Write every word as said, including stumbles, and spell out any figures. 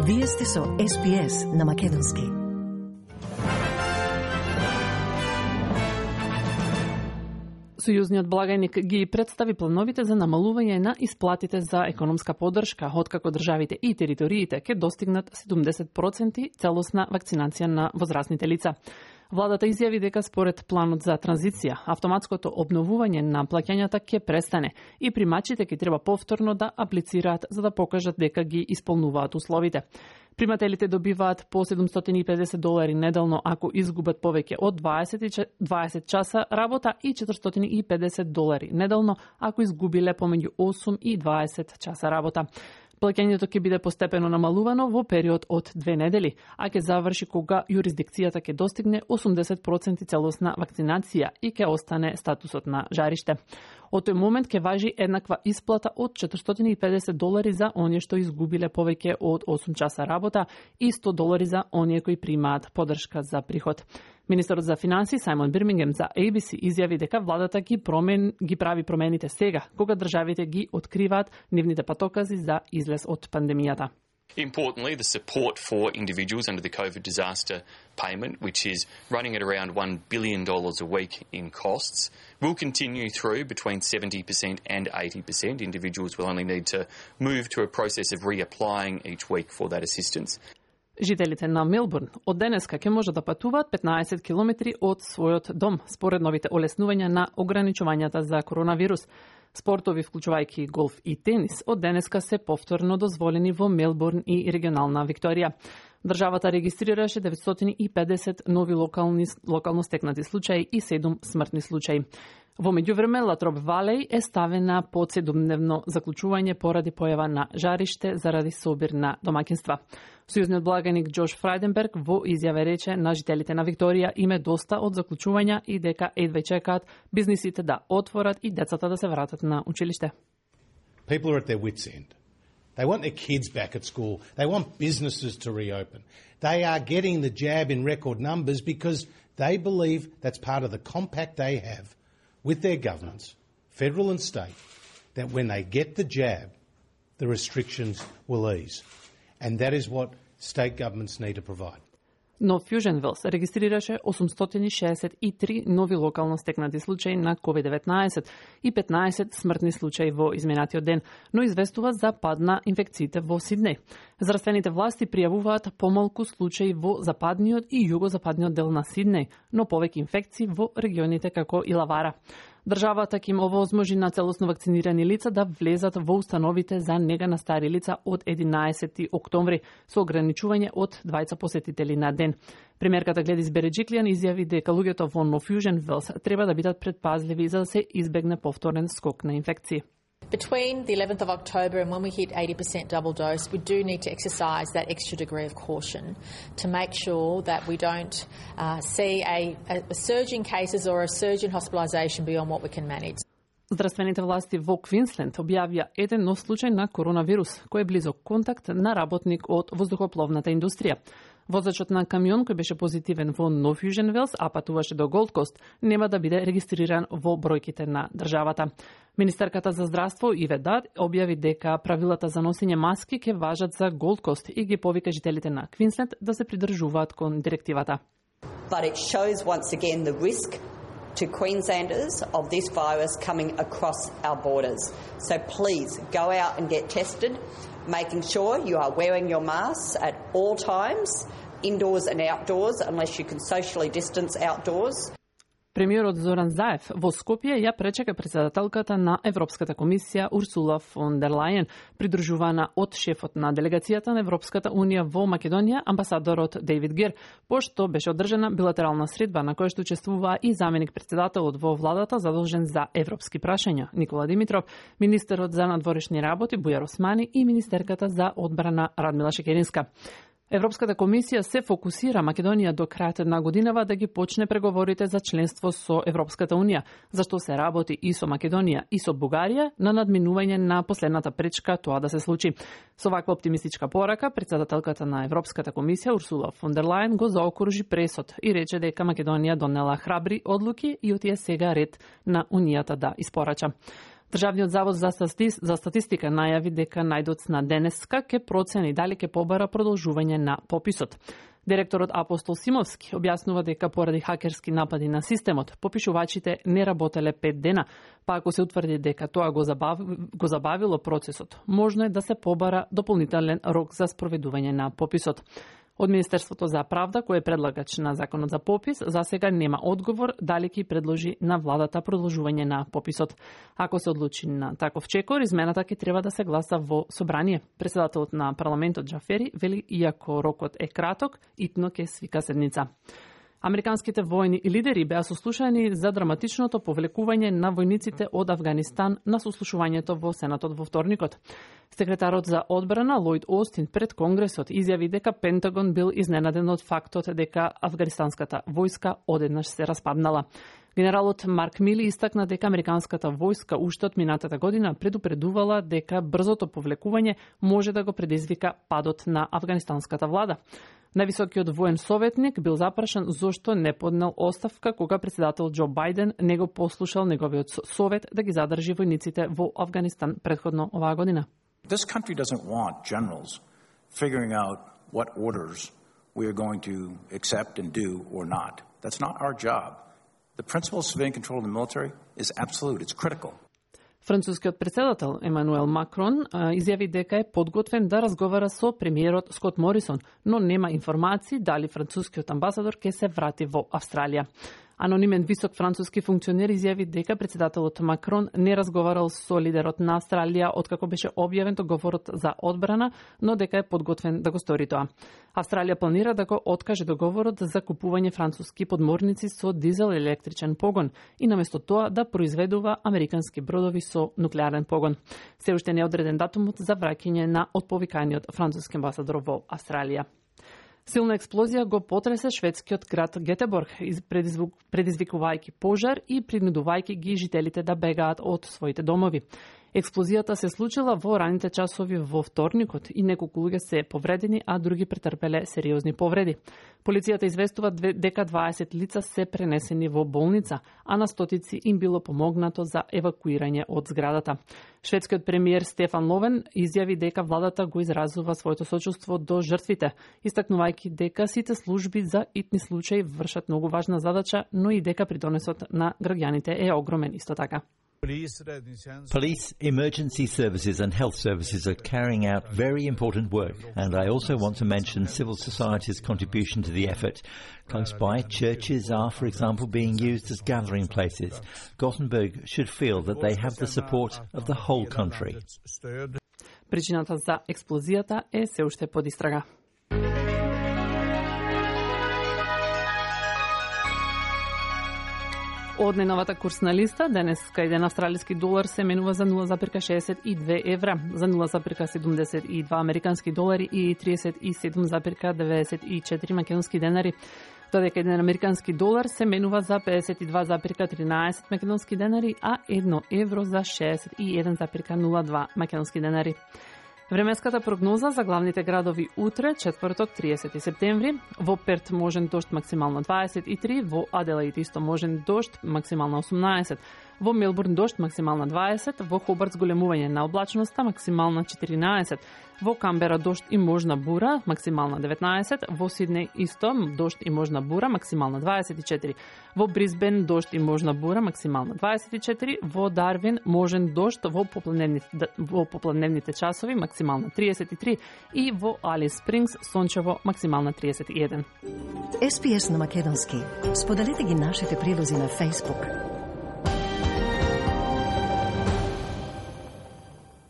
Вие сте со Ес Би Ес на Македонски. Сојузниот благајник ги представи плановите за намалување на исплатите за економска поддршка, откако државите и териториите ќе достигнат седумдесет проценти целосна вакцинација на возрастните лица. Владата изјави дека според планот за транзиција, автоматското обновување на плаќањата ќе престане и примачите ќе треба повторно да аплицираат за да покажат дека ги исполнуваат условите. Примателите добиваат по седумстотини и педесет долари неделно ако изгубат повеќе од дваесет часа работа и четиристотини и педесет долари неделно ако изгубиле помеѓу осум и дваесет часа работа. Плаќањето ќе биде постепено намалувано во период од две недели, а ќе заврши кога юрисдикцијата ќе достигне осумдесет проценти целосна вакцинација и ќе остане статусот на жариште. Од тој момент ќе важи еднаква исплата од четиристотини и педесет долари за оние што изгубиле повеќе од осум часа работа и сто долари за оние кои примаат поддршка за приход. Министерот за финансии Сајмон Бирмингем за Ей Би Си изјави дека владата ги промен ги прави промените сега, кога државите ги откриваат нивните патокази за излез од пандемијата. Importantly, the support for individuals under the COVID disaster payment, which is running at around one billion dollars a week in costs, will continue through between seventy percent and eighty percent. Individuals will only need to move to a process of reapplying each week for that assistance. Жителите на Мелбурн од денеска ќе можат да патуваат петнаесет километри од својот дом, според новите олеснувања на ограничувањата за коронавирус. Спортови, вклучувајќи голф и тенис, од денеска се повторно дозволени во Мелбурн и регионална Викторија. Државата регистрираше деветстотини и педесет нови локални, локално стекнати случаи и седум смртни случаи. Во меѓувреме, Латроп Валеј е ставена под седумдневно заклучување поради појава на жариште заради собир на домаќинства. Сојузниот благаник Џош Фрајденберг во изјава рече на жителите на Викторија им е доста од заклучувања и дека едве чекаат бизнисите да отворат и децата да се вратат на училиште. People are at their wits' end. They want their kids back at school. They want businesses to reopen. They are getting the jab in record numbers because they believe that's part of the compact they have with their governments, federal and state, that when they get the jab, the restrictions will ease. And that is what state governments need to provide. Но Фјужен Велс регистрираше осумстотини шеесет и три нови локално стекнати случаи на ковид деветнаесет и петнаесет смртни случаи во изминатиот ден, но известува за пад на инфекциите во Сиднеј. Здравствените власти пријавуваат помалку случаи во западниот и југозападниот дел на Сиднеј, но повеќе инфекции во регионите како Илавара. Државата ќе им овозможи на целосно вакцинирани лица да влезат во установите за нега на стари лица од единаесети октомври со ограничување од двајца посетители на ден. Премиерката Гледис Береџиклијан изјави дека луѓето во Но Фјужен Велс треба да бидат предпазливи за да се избегне повторен скок на инфекции. Between the eleventh of October and when we hit eighty percent double dose, we do need to exercise that extra degree of caution to make sure that we don't uh, see a, a surge in cases or a surge in hospitalisation beyond what we can manage. Здравствените власти во Квинсленд објавија еден нов случај на коронавирус, кој е близок контакт на работник од воздухопловната индустрија. Возачот на камион кој беше позитивен во Но Фјужен Велс, а патуваше до Голд Кост, нема да биде регистриран во бројките на државата. Министерката за здравство Иве Дад објави дека правилата за носење маски ќе важат за Голд Кост и ги повика жителите на Квинсленд да се придржуваат кон директивата. But it shows once again the risk to Queenslanders of this virus coming across our borders. So please go out and get tested, making sure you are wearing your masks at all times, indoors and outdoors, unless you can socially distance outdoors. Премиерот Зоран Заев во Скопје ја пречека председателката на Европската комисија Урсула фон дер Лајен, придружувана од шефот на делегацијата на Европската унија во Македонија, амбасадорот Дейвид Гер, пошто беше одржана билатерална средба на која што учествуваа и заменик председателот во владата задолжен за европски прашања Никола Димитров, министерот за надворешни работи Бујар Османи и министерката за одбрана Радмила Шекеринска. Европската комисија се фокусира Македонија до крајот на годинава да ги почне преговорите за членство со Европската унија, зашто се работи и со Македонија и со Бугарија на надминување на последната пречка тоа да се случи. Со ваква оптимистичка порака, председателката на Европската комисија Урсула фон дер Лајен го заокружи пресот и рече дека Македонија донела храбри одлуки и отие сега ред на Унијата да испорача. Државниот завод за, стати... за статистика најави дека најдоцна денеска ке процени дали ке побара продолжување на пописот. Директорот Апостол Симовски објаснува дека поради хакерски напади на системот, попишувачите не работеле пет дена, па ако се утврди дека тоа го, забав... го забавило процесот, можно е да се побара дополнителен рок за спроведување на пописот. Од Министерството за правда, кој е предлагач на законот за попис, за сега нема одговор дали ќе предложи на владата продолжување на пописот. Ако се одлучи на таков чекор, измената ќе треба да се гласа во собрание. Председателот на парламентот Џафери вели, иако рокот е краток, итно ќе свика седница. Американските војни и лидери беа сослушани за драматичното повлекување на војниците од Авганистан на сослушувањето во Сенатот во вторникот. Секретарот за одбрана Лојд Остин пред Конгресот изјави дека Пентагон бил изненаден од фактот дека афганистанската војска одеднаш се распаднала. Генералот Марк Мили истакна дека американската војска уште од минатата година предупредувала дека брзото повлекување може да го предизвика падот на афганистанската влада. Највисокиот воен советник бил запрашан зошто не поднел оставка кога председател Џо Бајден не го послушал неговиот совет да ги задржи војниците во Афганистан предходно оваа година. This country doesn't want generals figuring out what orders we are going to accept and do or not. That's not our job. The principle of civilian control of the military is absolute. It's critical. Францускиот председател Емануел Макрон изјави дека е подготвен да разговара со премиерот Скот Морисон, но нема информации дали францускиот амбасадор ќе се врати во Австралија. Анонимен висок француски функционер изјави дека председателот Макрон не разговарал со лидерот на Австралија откако беше објавен договорот за одбрана, но дека е подготвен да го стори тоа. Австралија планира да го откаже договорот за купување француски подморници со дизел електричен погон и наместо тоа да произведува американски бродови со нуклеарен погон. Се уште не е одреден датумот за враќање на отповиканиот француски амбасадор во Австралија. Силна експлозија го потресе шведскиот град Гетеборг, предизвикувајќи пожар и принудувајќи ги жителите да бегаат од своите домови. Експлозијата се случила во раните часови во вторникот и неколку луѓе се повредени, а други претрпеле сериозни повреди. Полицијата известува дека дваесет лица се пренесени во болница, а на стотици им било помогнато за евакуирање од зградата. Шведскиот премиер Стефан Ловен изјави дека владата го изразува своето сочувство до жртвите, истакнувајќи дека сите служби за итни случаи вршат многу важна задача, но и дека придонесот на граѓаните е огромен исто така. Police, emergency services and health services are carrying out very important work, and I also want to mention civil society's contribution to the effort. Close by, churches are, for example, being used as gathering places. Gothenburg should feel that they have the support of the whole country. Причината за експлозијата е се уште под истрага. Од најновата курсна листа, денеска еден австралиски долар се менува за нула запирка шеесет и две евра, за нула запирка седумдесет и два американски долари и тридесет и седум запирка деветдесет и четири македонски денари. Додека еден американски долар се менува за педесет и два запирка тринаесет македонски денари, а едно евро за шеесет и еден запирка нула два македонски денари. Временската прогноза за главните градови утре, четврток, триесети септември, во Перт можен дожд максимално дваесет и три, во Аделаид исто можен дожд максимално осумнаесет, во Мелбурн дожд максимално дваесет, во Хобарт зголемување на облачноста максимално четиринаесет, во Камбера дожд и можна бура максимално деветнаесет, во Сиднеј исто дожд и можна бура максимално дваесет и четири, во Брисбен дожд и можна бура максимално дваесет и четири, во Дарвин можен дожд во попладневните, во попладневните часови максимално триесет и три и во Алис Спрингс сончево максимално триесет и еден. Ес Пи Ес на македонски. Споделете ги нашите прилози на Facebook.